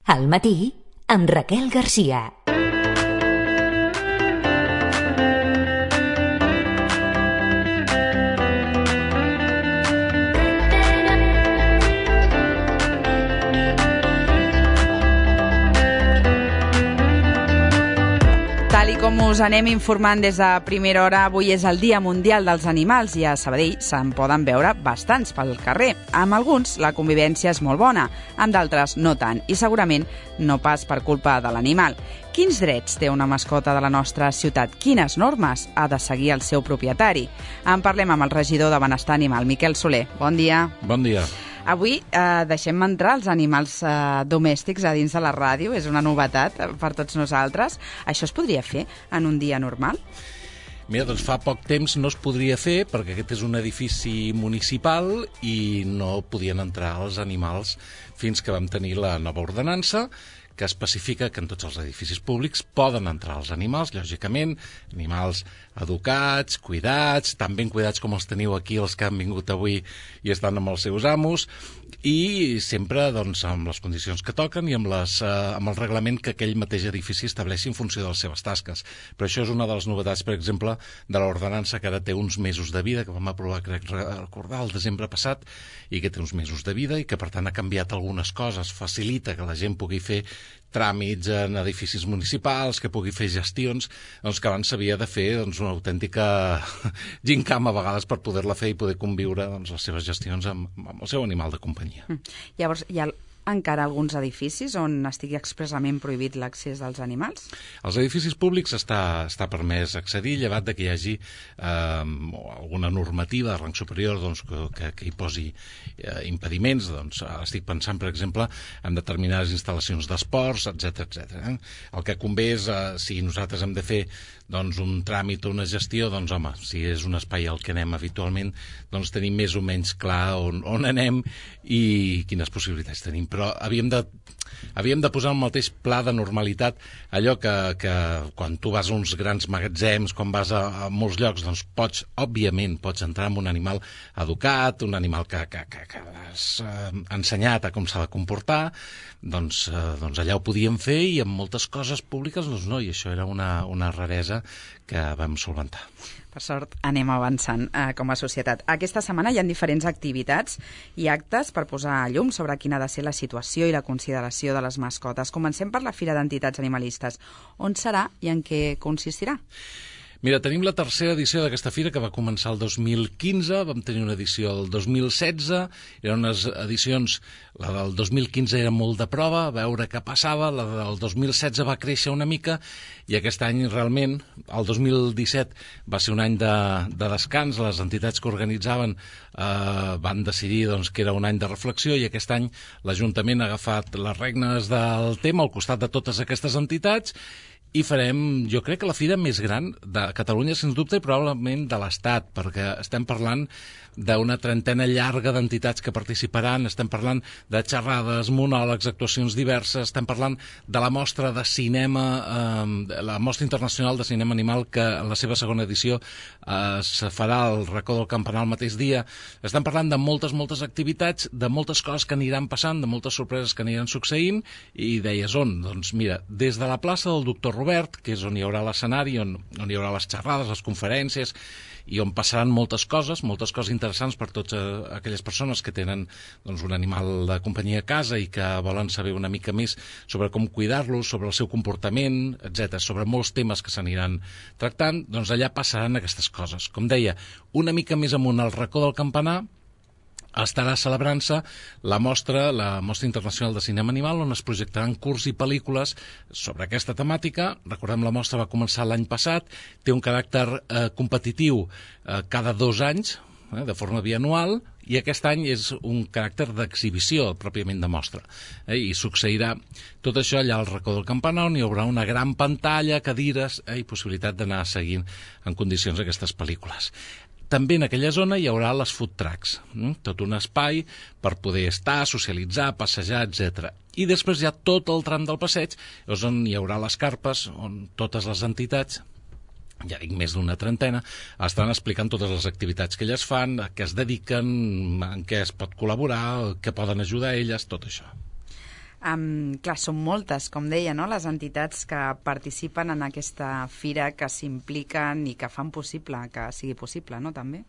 Al matí, amb Raquel Garcia. Tal com us anem informant des de primera hora, avui és el Dia Mundial dels Animals i a Sabadell se'n poden veure bastants pel carrer. Amb alguns la convivència és molt bona, amb d'altres no tant, i segurament no pas per culpa de l'animal. Quins drets té una mascota de la nostra ciutat? Quines normes ha de seguir el seu propietari? En parlem amb el regidor de Benestar Animal, Miquel Soler. Bon dia. Bon dia. Avui deixem entrar els animals domèstics a dins de la ràdio, és una novetat per tots nosaltres. Això es podria fer en un dia normal? Mira, doncs fa poc temps no es podria fer perquè aquest és un edifici municipal i no podien entrar els animals fins que vam tenir la nova ordenança que especifica que en tots els edificis públics poden entrar els animals, lògicament, animals educats, cuidats, tan ben cuidats com els teniu aquí, els que han vingut avui i estan amb els seus amos, i sempre doncs, amb les condicions que toquen i amb el reglament que aquell mateix edifici estableixi en funció de les seves tasques. Però això és una de les novetats, per exemple, de l'ordenança que ara té uns mesos de vida, que vam aprovar, crec recordar, el desembre passat, i que té uns mesos de vida i que, per tant, ha canviat algunes coses, facilita que la gent pugui fer tràmits en edificis municipals, que pugui fer gestions, doncs que abans s'havia de fer una autèntica gincama a vegades per poder-la fer i poder conviure les seves gestions amb el seu animal de companyia. Llavors, hi ha encara alguns edificis on estigui expressament prohibit l'accés dels animals? Als edificis públics està permès accedir, llevat de que hi hagi alguna normativa de rang superior que hi posi impediments. Estic pensant, per exemple, en determinades instal·lacions d'esports, etc. El que convé és, si nosaltres hem de fer un tràmit o una gestió, home, si és un espai al que anem habitualment, tenim més o menys clar on anem i quines possibilitats tenim. Però havíem de posar el mateix pla de normalitat, allò que quan tu vas a uns grans magatzems, quan vas a molts llocs, òbviament pots entrar amb un animal educat, un animal que has ensenyat a com s'ha de comportar, allà ho podíem fer i en moltes coses públiques no, i això era una raresa que vam solventar. Per sort, anem avançant com a societat. Aquesta setmana hi ha diferents activitats i actes per posar a llum sobre quina ha de ser la situació i la consideració de les mascotes. Comencem per la Fira d'Entitats Animalistes. On serà i en què consistirà? Mira, tenim la tercera edició d'aquesta fira que va començar el 2015, vam tenir una edició el 2016, eren unes edicions, la del 2015 era molt de prova, a veure què passava, la del 2016 va créixer una mica i aquest any realment, el 2017 va ser un any de descans, les entitats que organitzaven van decidir que era un any de reflexió i aquest any l'Ajuntament ha agafat les regnes del tema al costat de totes aquestes entitats i farem, jo crec que la fira més gran de Catalunya, sens dubte, i probablement de l'Estat, perquè estem parlant d'una trentena llarga d'entitats que participaran, estem parlant de xerrades, monòlegs, actuacions diverses, estem parlant de la mostra de cinema, la Mostra Internacional de Cinema Animal, que en la seva segona edició es farà al Racó del Campanar el mateix dia. Estem parlant de moltes activitats, de moltes coses que aniran passant, de moltes sorpreses que aniran succeint, i deies on? Doncs mira, des de la plaça del Doctor Robert, que és on hi haurà l'escenari, on hi haurà les xerrades, les conferències, i on passaran moltes coses interessants per totes aquelles persones que tenen un animal de companyia a casa i que volen saber una mica més sobre com cuidar-lo, sobre el seu comportament, etc., sobre molts temes que s'aniran tractant, allà passaran aquestes coses. Com deia, una mica més amunt al Racó del Campanar estarà celebrant-se la Mostra Internacional de Cinema Animal, on es projectaran curts i pel·lícules sobre aquesta temàtica. Recordem, la mostra va començar l'any passat, té un caràcter competitiu cada 2 anys, de forma bianual, i aquest any és un caràcter d'exhibició, pròpiament de mostra. I succeirà tot això allà al Racó del Campanar, on hi haurà una gran pantalla, cadires i possibilitat d'anar seguint en condicions aquestes pel·lícules. També en aquella zona hi haurà les food trucks, tot un espai per poder estar, socialitzar, passejar, etc. I després hi ha tot el tram del passeig, és on hi haurà les carpes, on totes les entitats, ja dic més d'una trentena, estan explicant totes les activitats que elles fan, a què es dediquen, en què es pot col·laborar, què poden ajudar a elles, tot això. Clar, són moltes, com deia, no?, les entitats que participen en aquesta fira, que s'impliquen i que fan possible que sigui possible, no?, també.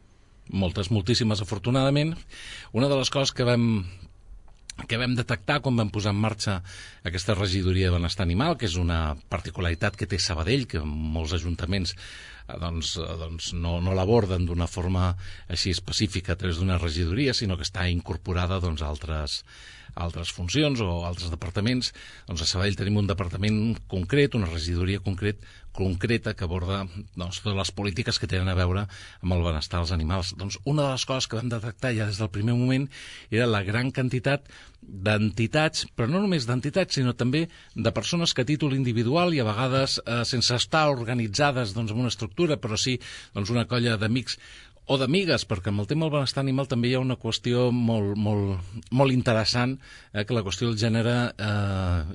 Moltes, moltíssimes, afortunadament. Una de les coses que vam detectar quan vam posar en marxa aquesta regidoria de benestar animal, que és una particularitat que té Sabadell, que molts ajuntaments no l'aborden d'una forma així específica a través d'una regidoria, sinó que està incorporada a altres funcions o altres departaments. Doncs a Sabadell tenim un departament concret, una regidoria concreta que aborda totes les polítiques que tenen a veure amb el benestar dels animals. Doncs una de les coses que vam detectar ja des del primer moment era la gran quantitat d'entitats, però no només d'entitats, sinó també de persones que a títol individual i a vegades sense estar organitzades en una estructura, però sí una colla d'amics o d'amigues, perquè amb el tema del benestar animal també hi ha una qüestió molt interessant, que la qüestió del gènere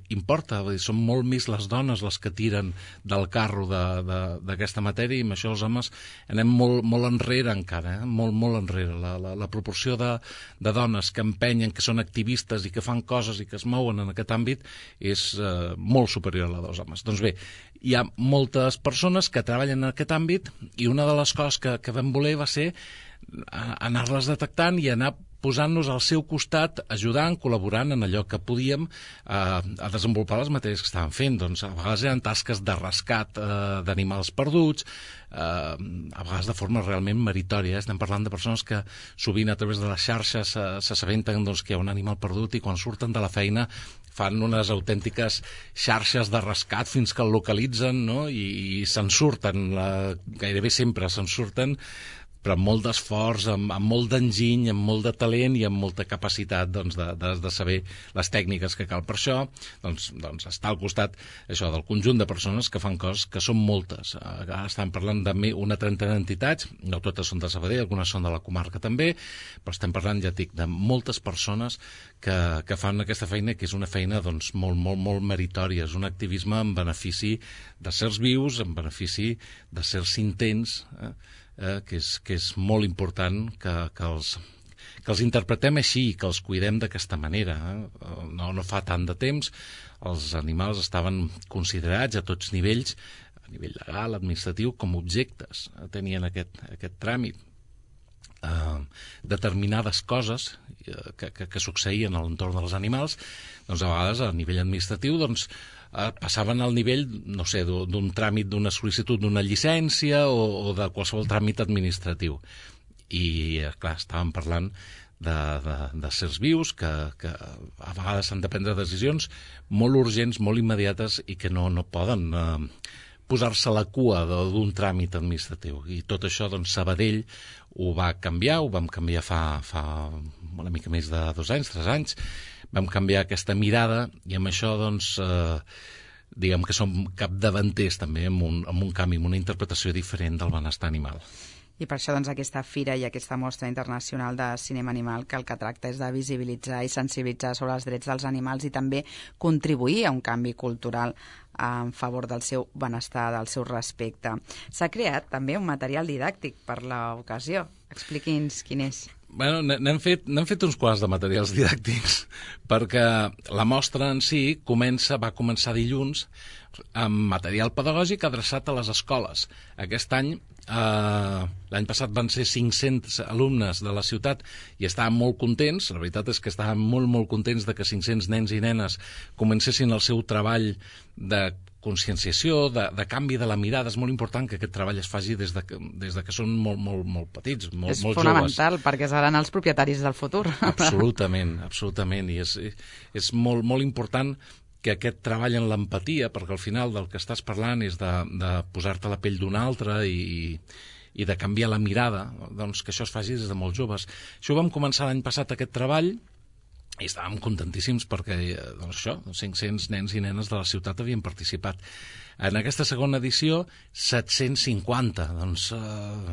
importa. Són molt més les dones les que tiren del carro d'aquesta matèria, i amb això els homes anem molt enrere encara, molt enrere. La proporció de dones que empenyen, que són activistes i que fan coses i que es mouen en aquest àmbit és molt superior a la dels homes. Doncs bé, hi ha moltes persones que treballen en aquest àmbit, i una de les coses que vam voler va ser anar-les detectant i anar posant-nos al seu costat, ajudant, col·laborant en allò que podíem a desenvolupar les matèries que estaven fent. Doncs a vegades eren tasques de rescat d'animals perduts, a vegades de forma realment meritòria. Estem parlant de persones que sovint a través de les xarxes s'assabenten que hi ha un animal perdut, i quan surten de la feina fan unes autèntiques xarxes de rescat fins que el localitzen, no? I se'n surten, gairebé sempre se'n surten, però amb molt d'esforç, amb molt d'enginy, amb molt de talent i amb molta capacitat de saber les tècniques que cal. Per això està al costat això del conjunt de persones que fan coses que són moltes. Ara estem parlant d'una trentena d'entitats, no totes són de Sabadell, algunes són de la comarca també, però estem parlant, ja dic, de moltes persones que fan aquesta feina, que és una feina molt meritòria. És un activisme en benefici de sers vius, en benefici de sers intents, que és molt important que els interpretem així, que els cuidem d'aquesta manera. No fa tant de temps els animals estaven considerats a tots nivells, a nivell legal, administratiu, com objectes. Tenien aquest tràmit. Determinades coses que succeïen a l'entorn dels animals, a vegades a nivell administratiu passaven al nivell, no sé, d'un tràmit, d'una sol·licitud d'una llicència o de qualsevol tràmit administratiu. I, clar, estàvem parlant de sers vius que a vegades han de prendre decisions molt urgents, molt immediates, i que no poden posar-se a la cua d'un tràmit administratiu. I tot això, Sabadell ho va canviar, ho vam canviar fa una mica més de 2 anys, 3 anys. Vam canviar aquesta mirada, i amb això, diguem que som capdavanters també amb un canvi, amb una interpretació diferent del benestar animal. I per això aquesta fira i aquesta mostra internacional de cinema animal, que el que tracta és de visibilitzar i sensibilitzar sobre els drets dels animals i també contribuir a un canvi cultural en favor del seu benestar, del seu respecte. S'ha creat també un material didàctic per l'ocasió. Expliqui'ns quin és. Bueno, n'hem fet uns quants de materials didàctics, perquè la mostra en si va començar dilluns amb material pedagògic adreçat a les escoles. Aquest any, l'any passat van ser 500 alumnes de la ciutat i estaven molt contents. La veritat és que estaven molt contents de que 500 nens i nenes comencessin el seu treball de conscienciació, de canvi de la mirada. És molt important que aquest treball es faci des de que són molt petits, molt joves. És fonamental, perquè seran els propietaris del futur. Absolutament, i és molt important que aquest treball en l'empatia, perquè al final del que estàs parlant és de posar-te a la pell d'un altre i de canviar la mirada, que això es faci des de molt joves. Això ho vam començar l'any passat, aquest treball, i estàvem contentíssims perquè 500 nens i nenes de la ciutat havien participat. En aquesta segona edició, 750. Doncs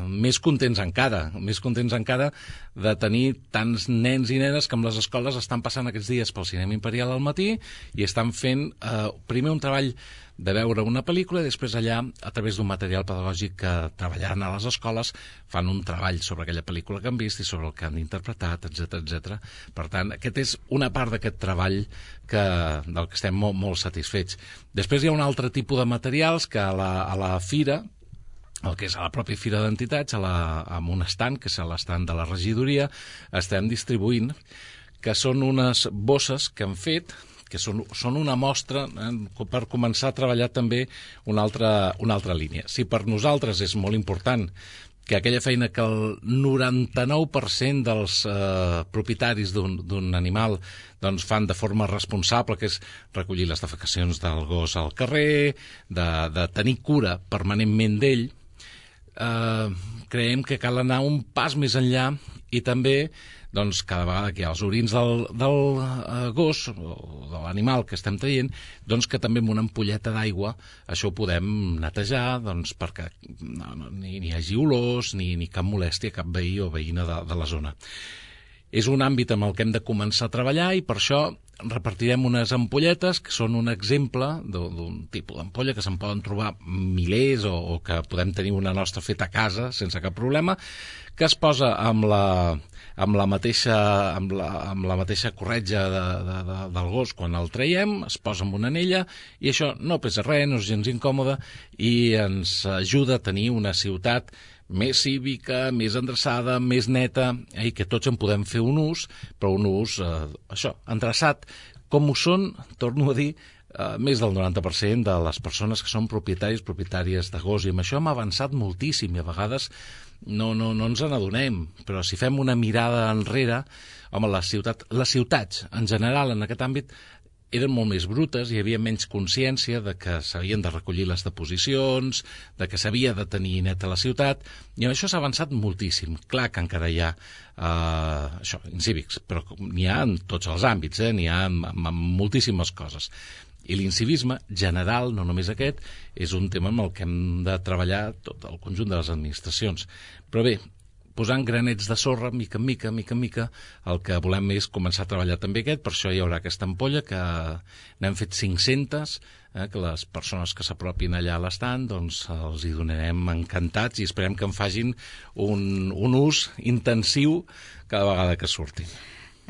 més contents encara de tenir tants nens i nenes que amb les escoles estan passant aquests dies pel Cinema Imperial al matí i estan fent primer un treball de veure una pel·lícula i després allà, a través d'un material pedagògic que treballaran a les escoles, fan un treball sobre aquella pel·lícula que han vist i sobre el que han interpretat, etc. Per tant, aquest és una part d'aquest treball del que estem molt satisfets. Després hi ha un altre tipus de materials que a la fira, el que és a la pròpia Fira d'Entitats, amb un estand, que és l'estant de la regidoria, estem distribuint, que són unes bosses que han fet, que són una mostra per començar a treballar també una altra línia. Si per nosaltres és molt important que aquella feina que el 99% dels propietaris d'un animal doncs fan de forma responsable, que és recollir les defecacions del gos al carrer, de tenir cura permanentment d'ell, creiem que cal anar un pas més enllà i també doncs cada vegada que hi ha els orins del gos o de l'animal que estem traient, doncs que també amb una ampolleta d'aigua això ho podem netejar doncs perquè ni hi hagi olors ni cap molèstia, cap veí o veïna de la zona. És un àmbit amb el que hem de començar a treballar i per això repartirem unes ampolletes que són un exemple d'un tipus d'ampolla que se'n poden trobar milers o que podem tenir una nostra feta a casa sense cap problema, que es posa amb la mateixa corretja del gos quan el traiem, es posa amb una anella i això no pesa res, no és gens incòmode i ens ajuda a tenir una ciutat més cívica, més endreçada, més neta, i que tots en podem fer un ús, però un ús, endreçat, com ho són, torno a dir, més del 90% de les persones que són propietàries de gos, i amb això hem avançat moltíssim, i a vegades no ens n'adonem, però si fem una mirada enrere, home, les ciutats, en general, en aquest àmbit, eren molt més brutes, hi havia menys consciència de que s'havien de recollir les deposicions, de que s'havia de tenir neta la ciutat, i en això s'ha avançat moltíssim. Clar que encara hi ha incívics, però n'hi ha en tots els àmbits, n'hi ha en moltíssimes coses. I l'incivisme general, no només aquest, és un tema amb el que hem de treballar tot el conjunt de les administracions. Però bé, posant granets de sorra, mica en mica, el que volem és començar a treballar també aquest, per això hi haurà aquesta ampolla que n'hem fet 500, que les persones que s'apropin allà a l'estand doncs els hi donarem encantats i esperem que en facin un ús intensiu cada vegada que surtin.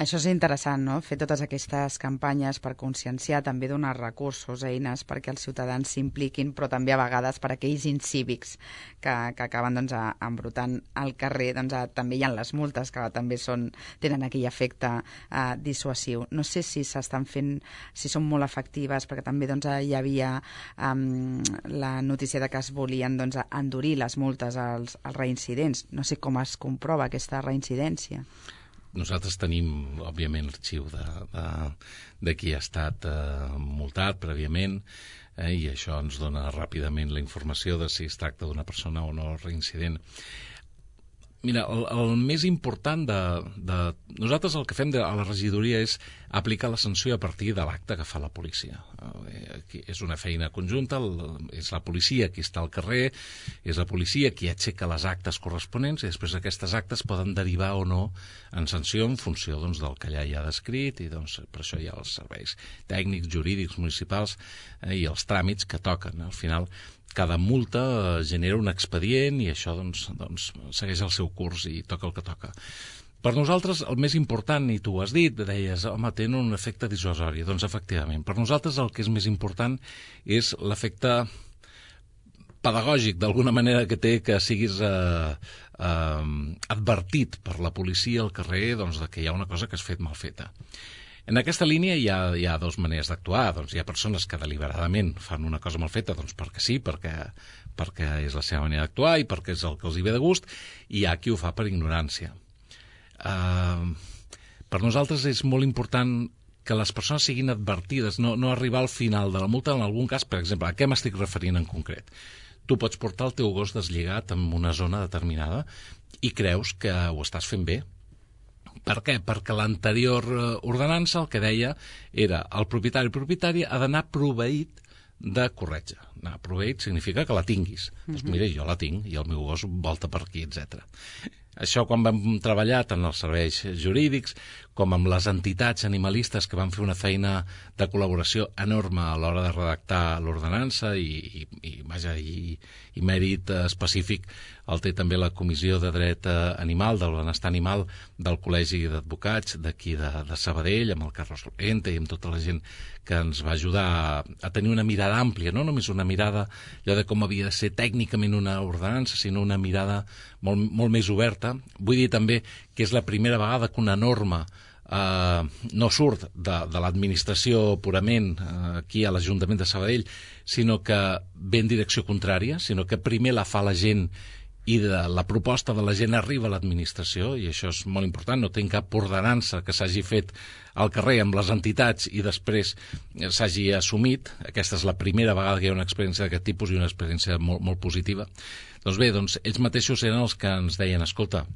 Això és interessant, no?, fer totes aquestes campanyes per conscienciar, també donar recursos, eines perquè els ciutadans s'impliquin, però també a vegades per aquells incívics que acaben doncs, embrutant al carrer, doncs, també hi ha les multes que també tenen aquell efecte dissuasiu. No sé si s'estan fent, si són molt efectives, perquè també doncs, hi havia la notícia de que es volien doncs, endurir les multes als reincidents. No sé com es comprova aquesta reincidència. Nosaltres tenim, òbviament, l'arxiu de qui ha estat multat prèviament i això ens dona ràpidament la informació de si es tracta d'una persona o no reincident. Mira, el més important nosaltres el que fem a la regidoria és aplicar la sanció a partir de l'acte que fa la policia. És una feina conjunta, és la policia qui està al carrer, és la policia qui aixeca les actes corresponents i després aquestes actes poden derivar o no en sanció en funció doncs, del que allà hi ha descrit i doncs, per això hi ha els serveis tècnics, jurídics, municipals i els tràmits que toquen. Al final, cada multa genera un expedient i això doncs, segueix el seu curs i toca el que toca. Per nosaltres el més important, i tu ho has dit, deies, home, tenen un efecte dissuasori. Doncs efectivament, per nosaltres el que és més important és l'efecte pedagògic, d'alguna manera que té que siguis advertit per la policia al carrer doncs, que hi ha una cosa que has fet mal feta. En aquesta línia hi ha dues maneres d'actuar. Doncs hi ha persones que deliberadament fan una cosa mal feta doncs perquè sí, perquè és la seva manera d'actuar i perquè és el que els hi ve de gust, i hi ha qui ho fa per ignorància. Per nosaltres és molt important que les persones siguin advertides, no arribar al final de la multa. En algun cas, per exemple, a què m'estic referint en concret? Tu pots portar el teu gos deslligat en una zona determinada i creus que ho estàs fent bé. Per què? Perquè l'anterior ordenança el que deia era el propietari ha d'anar proveït de corretja, Anar a proveit significa que la tinguis. Doncs mira, jo la tinc i el meu gos volta per aquí, etc. Això quan vam treballar tant els serveis jurídics com amb les entitats animalistes que van fer una feina de col·laboració enorme a l'hora de redactar l'ordenança i mèrit específic el té també la Comissió de Dret Animal, del Benestar Animal del Col·legi d'Advocats d'aquí de Sabadell, amb el Carlos Lorente i amb tota la gent que ens va ajudar a tenir una mirada àmplia, no només una mirada allò de com havia de ser tècnicament una ordenança, sinó una mirada molt més oberta. Vull dir també que és la primera vegada que una norma no surt de l'administració purament aquí a l'Ajuntament de Sabadell, sinó que ve en direcció contrària, sinó que primer la fa la gent i la proposta de la gent arriba a l'administració, i això és molt important. No tinc cap ordenança que s'hagi fet al carrer amb les entitats i després s'hagi assumit. Aquesta és la primera vegada que hi ha una experiència d'aquest tipus i una experiència molt positiva. Doncs bé, ells mateixos eren els que ens deien, escolta,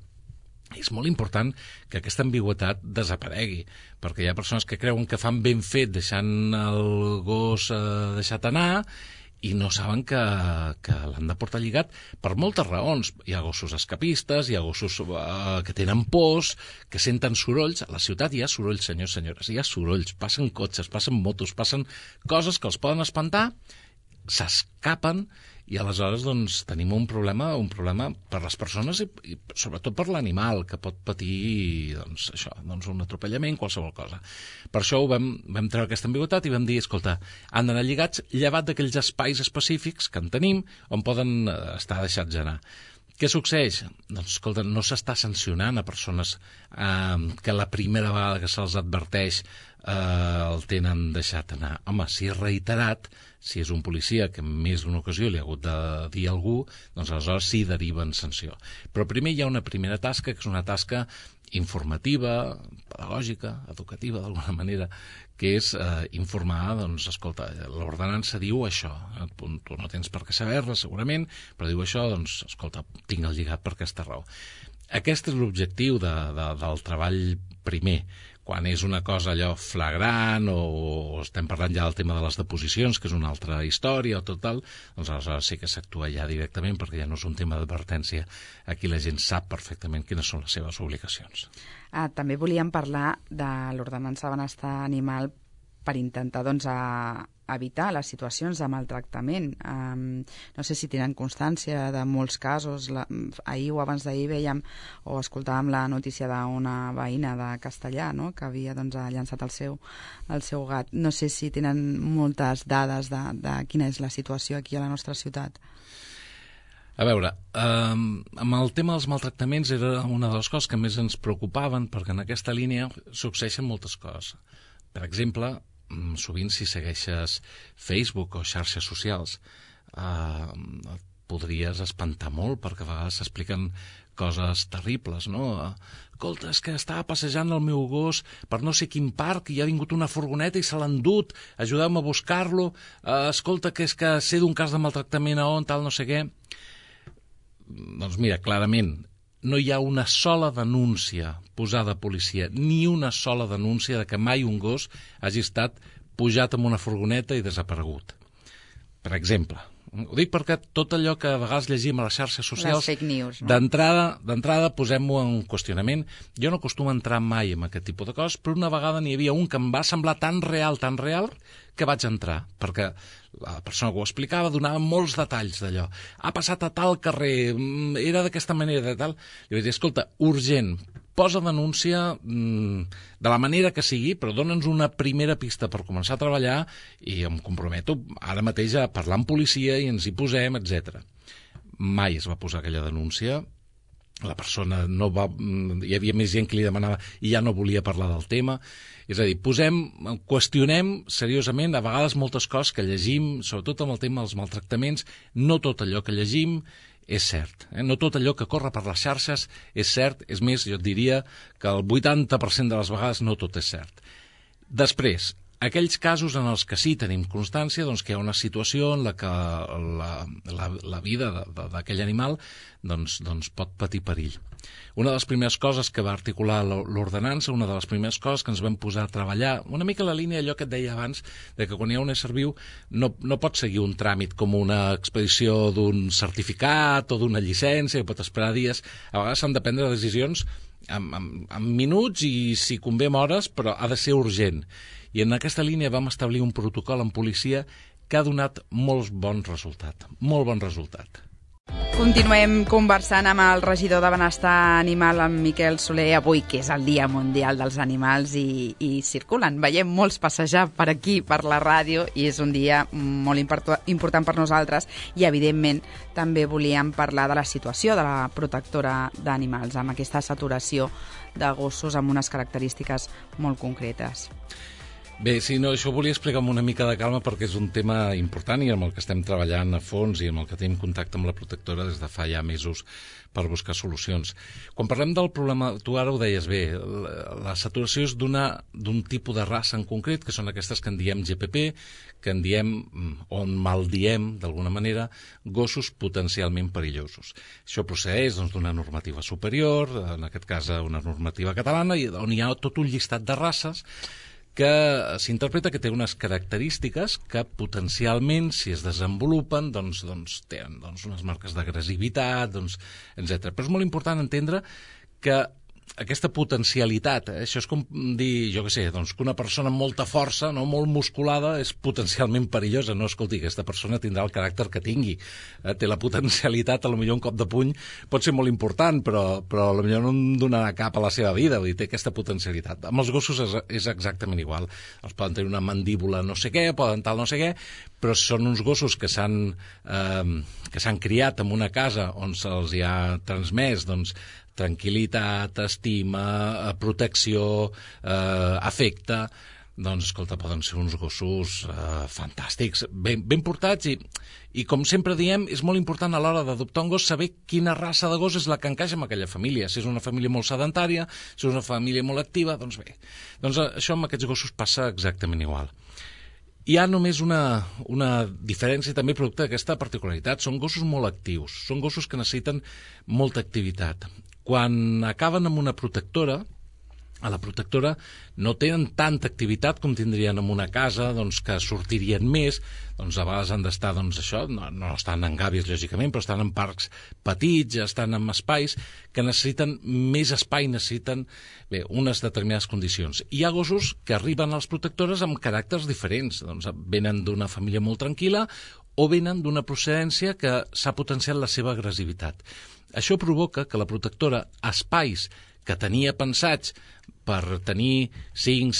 és molt important que aquesta ambigüitat desaparegui, perquè hi ha persones que creuen que fan ben fet deixant el gos deixat anar i no saben que l'han de portar lligat per moltes raons. Hi ha gossos escapistes, hi ha gossos que tenen pors, que senten sorolls. A la ciutat hi ha sorolls, senyors, senyores, hi ha sorolls, passen cotxes, passen motos, passen coses que els poden espantar, s'escapen, i aleshores tenim un problema per les persones i sobretot per l'animal, que pot patir un atropellament, qualsevol cosa. Per això vam treure aquesta ambigüitat i vam dir, escolta, han d'anar lligats llevat d'aquells espais específics que en tenim on poden estar deixats anar. Què succeeix? Doncs, escolta, no s'està sancionant a persones que la primera vegada que se'ls adverteix el tenen deixat anar. Home, si és reiterat, si és un policia que en més d'una ocasió li ha hagut de dir a algú, doncs aleshores sí deriven sanció. Però primer hi ha una primera tasca, que és una tasca informativa, pedagògica, educativa, d'alguna manera, que és informar, doncs, escolta, l'ordenança diu això, tu no tens per què saber-la, segurament, però diu això, doncs, escolta, tinc el lligat per aquesta raó. Aquest és l'objectiu del treball primer. Quan és una cosa allò flagrant o estem parlant ja del tema de les deposicions, que és una altra història o tot tal, doncs aleshores sí que s'actua ja directament, perquè ja no és un tema d'advertència. Aquí la gent sap perfectament quines són les seves obligacions. També volíem parlar de l'ordenança de benestar animal per intentar evitar les situacions de maltractament. No sé si tenen constància de molts casos. Ahir o abans d'ahir veiem o escoltàvem la notícia d'una veïna de Castellà, no?, que havia llançat el seu gat. No sé si tenen moltes dades de quina és la situació aquí a la nostra ciutat. A veure, amb el tema dels maltractaments era una de les coses que més ens preocupaven, perquè en aquesta línia succeeixen moltes coses. Per exemple, sovint si segueixes Facebook o xarxes socials et podries espantar molt, perquè a vegades s'expliquen coses terribles, no? Escolta, és que estava passejant el meu gos per no sé quin parc i ha vingut una furgoneta i se l'ha endut, ajudeu-me a buscar-lo, escolta, que és que sé d'un cas de maltractament a on, tal, no sé què. Doncs mira, clarament, no hi ha una sola denúncia posada a policia, ni una sola denúncia de que mai un gos hagi estat pujat amb una furgoneta i desaparegut. Per exemple, ho dic perquè tot allò que a vegades llegim a les xarxes socials, les fake news, no? D'entrada posem-ho en qüestionament. Jo no acostumo a entrar mai en aquest tipus de coses, però una vegada n'hi havia un que em va semblar tan real, que vaig entrar, perquè la persona que ho explicava donava molts detalls d'allò. Ha passat a tal carrer, era d'aquesta manera, de tal. I vaig dir, escolta, urgent, posa denúncia de la manera que sigui, però dona'ns una primera pista per començar a treballar i em comprometo ara mateix a parlar amb policia i ens hi posem, etc. Mai es va posar aquella denúncia. La persona no va... Hi havia més gent que li demanava i ja no volia parlar del tema. És a dir, qüestionem seriosament a vegades moltes coses que llegim, sobretot amb el tema dels maltractaments. No tot allò que llegim és cert. No tot allò que corre per les xarxes és cert. És més, jo et diria que el 80% de les vegades no tot és cert. Després, Aquells casos en els que sí tenim constància doncs, que hi ha una situació en la que la vida d'aquell animal doncs, pot patir perill. Una de les primeres coses que va articular l'ordenança, una de les primeres coses que ens vam posar a treballar, una mica la línia d'allò que et deia abans, de que quan hi ha un ésser viu no pot seguir un tràmit com una expedició d'un certificat o d'una llicència, que pot esperar dies. A vegades s'han de prendre decisions en minuts i, si convé, en hores, però ha de ser urgent. I en aquesta línia vam establir un protocol en policia que ha donat molt bon resultat. Continuem conversant amb el regidor de Benestar Animal, en Miquel Soler, avui, que és el Dia Mundial dels Animals, i circulen. Veiem molts passejar per aquí, per la ràdio, i és un dia molt important per nosaltres, i evidentment també volíem parlar de la situació de la protectora d'animals, amb aquesta saturació de gossos amb unes característiques molt concretes. Bé, sí, no, això ho volia explicar amb una mica de calma perquè és un tema important i amb el que estem treballant a fons i amb el que tenim contacte amb la protectora des de fa ja mesos per buscar solucions. Quan parlem del problema, tu ara ho deies bé, la saturació és d'un tipus de raça en concret, que són aquestes que en diem GPP, que en diem, o en maldiem d'alguna manera, gossos potencialment perillosos. Això procedeix d'una normativa superior, en aquest cas una normativa catalana, on hi ha tot un llistat de races que s'interpreta que té unes característiques que potencialment, si es desenvolupen, doncs tenen unes marques d'agressivitat, etc. Però és molt important entendre que aquesta potencialitat, això és com dir, jo què sé, que una persona amb molta força, no, molt musculada, és potencialment perillosa. No, escolti, aquesta persona tindrà el caràcter que tingui. Té la potencialitat, potser un cop de puny pot ser molt important, però potser no en donarà cap a la seva vida, vull dir, té aquesta potencialitat. Amb els gossos és exactament igual. Els poden tenir una mandíbula no sé què, poden tal no sé què, però són uns gossos que s'han criat en una casa on se'ls ha transmès, tranquil·litat, estima, protecció, afecte, escolta, poden ser uns gossos fantàstics, ben portats i com sempre diem, és molt important a l'hora d'adoptar un gos saber quina raça de gos és la que encaixa en aquella família. Si és una família molt sedentària, si és una família molt activa, doncs bé. Això amb aquests gossos passa exactament igual. Hi ha només una diferència també producte d'aquesta particularitat. Són gossos molt actius, són gossos que necessiten molta activitat. Quan acaben amb una protectora, a la protectora no tenen tanta activitat com tindrien en una casa, que sortirien més, a vegades han d'estar, no estan en gàbies, lògicament, però estan en parcs petits, estan en espais que necessiten més espai, necessiten unes determinades condicions. Hi ha gossos que arriben a les protectores amb caràcters diferents, venen d'una família molt tranquil·la o venen d'una procedència que s'ha potenciat la seva agressivitat. Això provoca que la protectora, espais que tenia pensats per tenir 5,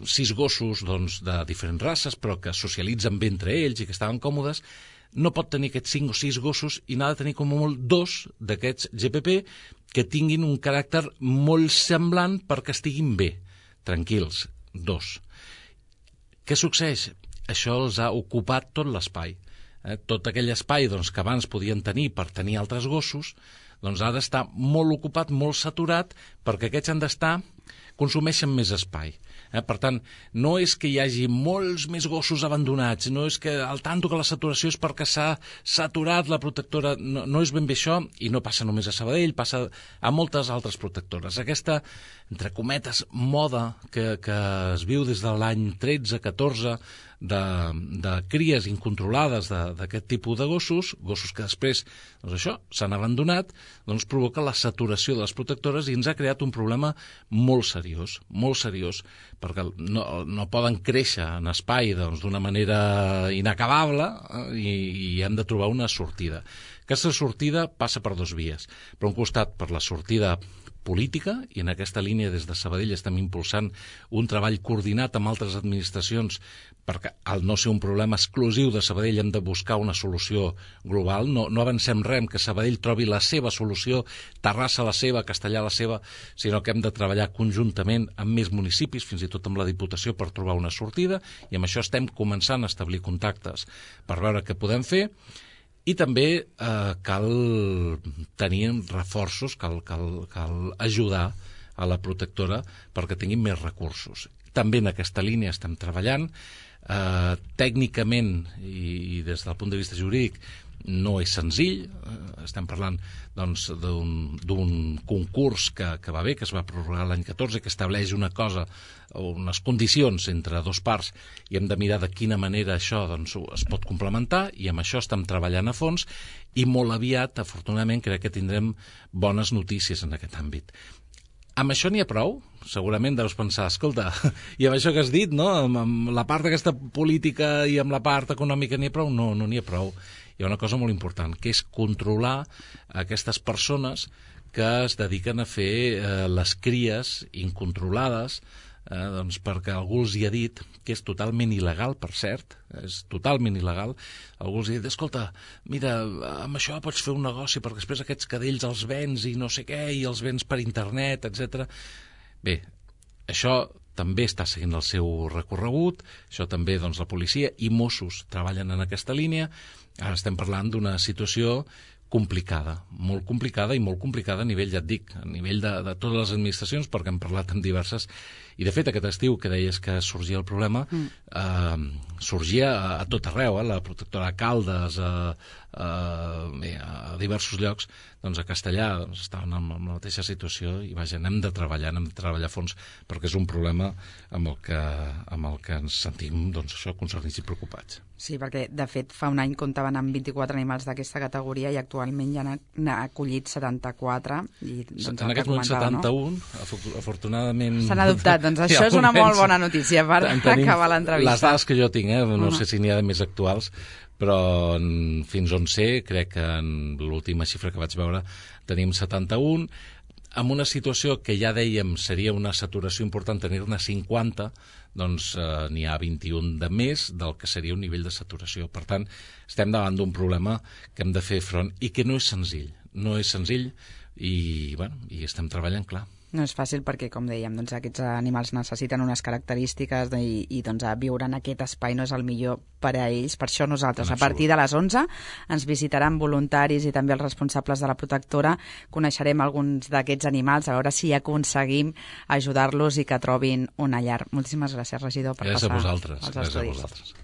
6 gossos de diferents races, però que socialitzen bé entre ells i que estaven còmodes, no pot tenir aquests 5 o 6 gossos i n'ha de tenir com a molt 2 d'aquests GPP que tinguin un caràcter molt semblant perquè estiguin bé, tranquils, 2. Què succeeix? Això els ha ocupat tot l'espai. Tot aquell espai que abans podien tenir per tenir altres gossos, ha d'estar molt ocupat, molt saturat, perquè aquests han d'estar, consumeixen més espai. Per tant, no és que hi hagi molts més gossos abandonats, no és que al tanto que la saturació és perquè s'ha saturat la protectora, no és ben bé això, i no passa només a Sabadell, passa a moltes altres protectores. Aquesta, entre cometes, moda que es viu des de l'any 13-14 de cries incontrolades d'aquest tipus de gossos que després s'han abandonat, provoca la saturació de les protectores i ens ha creat un problema molt seriós, perquè no poden créixer en espai d'una manera inacabable i hem de trobar una sortida. Aquesta sortida passa per 2 vies. Per un costat, per la sortida política, i en aquesta línia des de Sabadell estem impulsant un treball coordinat amb altres administracions perquè al no ser un problema exclusiu de Sabadell hem de buscar una solució global, no avancem res que Sabadell trobi la seva solució, Terrassa la seva, Castellà la seva, sinó que hem de treballar conjuntament amb més municipis, fins i tot amb la Diputació, per trobar una sortida, i amb això estem començant a establir contactes per veure què podem fer. I també cal tenir reforços, cal ajudar a la protectora perquè tinguin més recursos. també en aquesta línia estem treballant. Tècnicament i des del punt de vista jurídic no és senzill, estem parlant doncs, d'un concurs que va bé, que es va prorrogar l'any 14, que estableix una cosa, unes condicions entre dos parts, i hem de mirar de quina manera això doncs, es pot complementar, i amb això estem treballant a fons, i molt aviat, afortunadament, crec que tindrem bones notícies en aquest àmbit. Amb això n'hi ha prou? Segurament deus pensar, escolta, i amb això que has dit, no? Amb la part d'aquesta política i amb la part econòmica n'hi ha prou? No, no n'hi ha prou. Hi ha una cosa molt important, que és controlar aquestes persones que es dediquen a fer les cries incontrolades, doncs perquè algú els hi ha dit, que és totalment il·legal, per cert, és totalment il·legal, algú els ha dit, escolta, mira, amb això pots fer un negoci perquè després aquests cadells els vens i no sé què, i els vens per internet, etc. Bé, això també està seguint el seu recorregut, això també doncs, la policia i Mossos treballen en aquesta línia. Ara estem parlant d'una situació complicada, molt complicada i molt complicada a nivell, ja et dic, a nivell de totes les administracions, perquè hem parlat amb diverses, i de fet aquest estiu que deies que sorgia el problema, sorgia a tot arreu, la protectora de Caldes, a diversos llocs, doncs a Castellà doncs, estaven en la mateixa situació i vaja, hem de treballar a fons perquè és un problema amb el que ens sentim doncs, això, concernits i preocupats. Sí, perquè de fet fa un any comptaven amb 24 animals d'aquesta categoria i actualment ja n'ha acollit 74. I, doncs, en aquest moment 71, no? Afortunadament... S'han adoptat, doncs això és una molt bona notícia per acabar l'entrevista. Les dades que jo tinc, no sé si n'hi ha de més actuals, però fins on sé, crec que en l'última xifra que vaig veure tenim 71, amb una situació que ja dèiem seria una saturació important tenir-ne 50, doncs n'hi ha 21 de més del que seria un nivell de saturació. Per tant, estem davant d'un problema que hem de fer front i que no és senzill. No és senzill i estem treballant, clar. No és fàcil perquè, com dèiem, doncs, aquests animals necessiten unes característiques i doncs, viure en aquest espai no és el millor per a ells. Per això nosaltres, a partir de les 11, ens visitaran voluntaris i també els responsables de la protectora. Coneixerem alguns d'aquests animals, a veure si aconseguim ajudar-los i que trobin una llar. Moltíssimes gràcies, regidor, per passar als estudis. Gràcies a vosaltres.